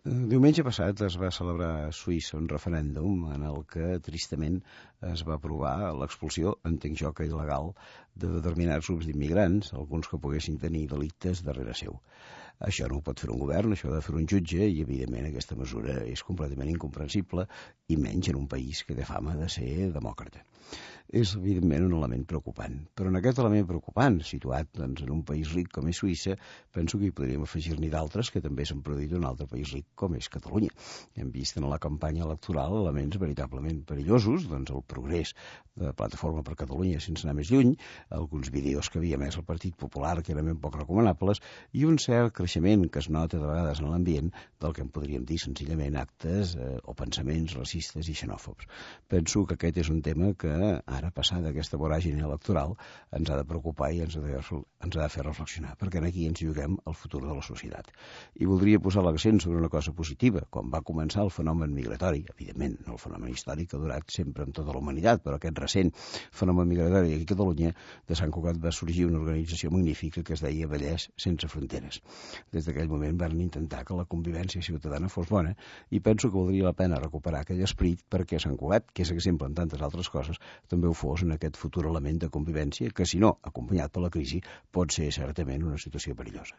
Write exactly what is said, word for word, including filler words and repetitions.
Diumenge passat es va celebrar a Suïssa un referèndum en el que, tristament, es va aprovar l'expulsió, entenc jo que il·legal, de determinats grups d'immigrants, alguns que poguessin tenir delictes darrere seu. Això no ho pot fer un govern, això ho ha de fer un jutge, i evidentment aquesta mesura és completament incomprensible, i menys en un país que té fama de ser demòcrata. És, evidentment, un element preocupant. Però en aquest element preocupant, situat doncs, en un país ric com és Suïssa, penso que hi podríem afegir-n'hi d'altres que també s'han produït en un altre país ric com és Catalunya. Hem vist en la campanya electoral elements veritablement perillosos, doncs el progrés de Plataforma per Catalunya sense anar més lluny, alguns vídeos que havia emès el Partit Popular que eren ben poc recomanables, i un cert creixement que es nota de vegades en l'ambient del que en podríem dir senzillament actes eh, o pensaments racistes i xenòfobs. Penso que aquest és un tema que ara, passada aquesta voràgine electoral, ens ha de preocupar i ens ha de, ens ha de fer reflexionar, perquè aquí ens juguem el futur de la societat. I voldria posar l'accent sobre una cosa positiva. Quan va començar el fenomen migratori, evidentment, no el fenomen històric que ha durat sempre en tota la humanitat, però aquest recent fenomen migratori aquí a Catalunya, de Sant Cugat va sorgir una organització magnífica que es deia Vallès Sense Fronteres. Des d'aquell moment van intentar que la convivència ciutadana fos bona, i penso que valdria la pena recuperar aquell esperit perquè Sant Cugat, que és exemple en tantes altres coses, també ho fos en aquest futur element de convivència que, si no acompanyat per la crisi, pot ser certament una situació perillosa.